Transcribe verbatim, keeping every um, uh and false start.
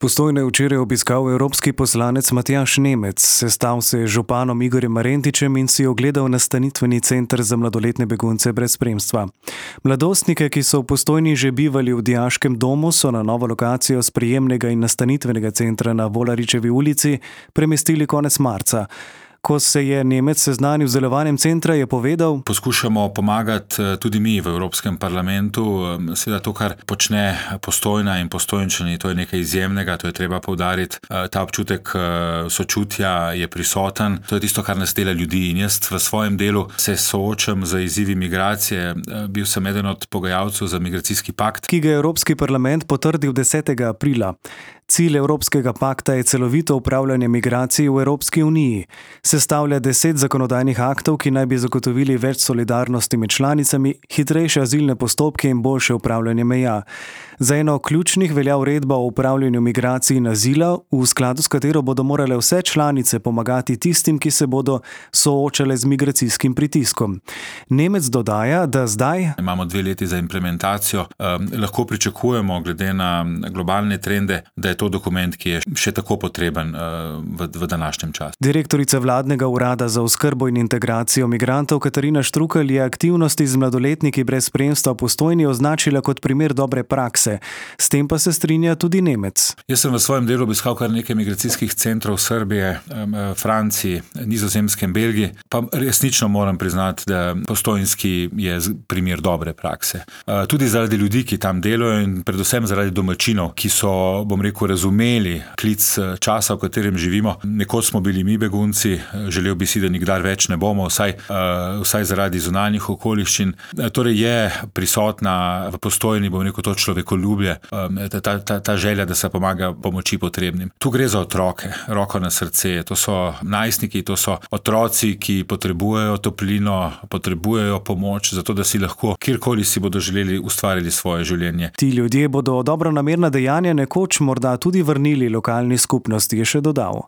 Postojno je včeraj obiskal evropski poslanec Matjaž Nemec, sestal se je z županom Igorjem Marentičem in si ogledal nastanitveni center za mladoletne begunce brez spremstva. Mladostnike, ki so v Postojni že bivali v dijaškem domu, so na novo lokacijo sprejemnega in nastanitvenega centra na Volaričevi ulici premestili konec marca. Ko se je Nemec seznanil z delovanjem centra, je povedal: Poskušamo pomagati tudi mi v Evropskem parlamentu. Seveda to, kar počne Postojna in Postojnčani, to je nekaj izjemnega, to je treba poudariti. Ta občutek sočutja je prisoten. To je tisto, kar nas dela ljudi. In jaz v svojem delu se soočam z izzivi migracije. Bil sem eden od pogajalcev za migracijski pakt, ki ga je Evropski parlament potrdil desetega aprila. Cilj Evropskega pakta je celovito upravljanje migracij v Evropski uniji. Sestavlja deset zakonodajnih aktov, ki naj bi zagotovili več solidarnosti med članicami, hitrejše azilne postopke in boljše upravljanje meja. Za eno ključnih velja uredba o upravljanju migracij in azila, v skladu s katero bodo morale vse članice pomagati tistim, ki se bodo soočale z migracijskim pritiskom. Nemec dodaja, da zdaj imamo dve leti za implementacijo. Eh, lahko pričakujemo, glede na globalne trende, da je to dokument, ki je še tako potreben uh, v, v današnjem času. Direktorica vladnega urada za oskrbo in integracijo migrantov Katarina Štrukelj je aktivnosti z mladoletniki brez spremstva v Postojni označila kot primer dobre prakse. S tem pa se strinja tudi Nemec. Jaz sem v svojem delu obiskal kar nekaj migracijskih centrov v Srbiji, Franciji, Nizozemske in Belgiji, pa resnično moram priznati, da postojnski je primer dobre prakse. Uh, tudi zaradi ljudi, ki tam delajo, in predvsem zaradi domačinov, ki so, bom rekel, razumeli klic časa, v katerem živimo. Nekoč smo bili mi begunci, želel bi si, da nikdar več ne bomo, vsaj, uh, vsaj zaradi zunanjih okoliščin. Torej je prisotna v Postojni, bom rekel, to človekoljubje, um, ta, ta, ta želja, da se pomaga pomoči potrebnim. Tu gre za otroke, roko na srce. To so najstniki, to so otroci, ki potrebujejo toplino, potrebujejo pomoč, zato da si lahko, kjerkoli si bodo želeli, ustvarili svoje življenje. Ti ljudje bodo dobronamerna dejanja nekoč morda tudi vrnili lokalni skupnosti, je še dodal.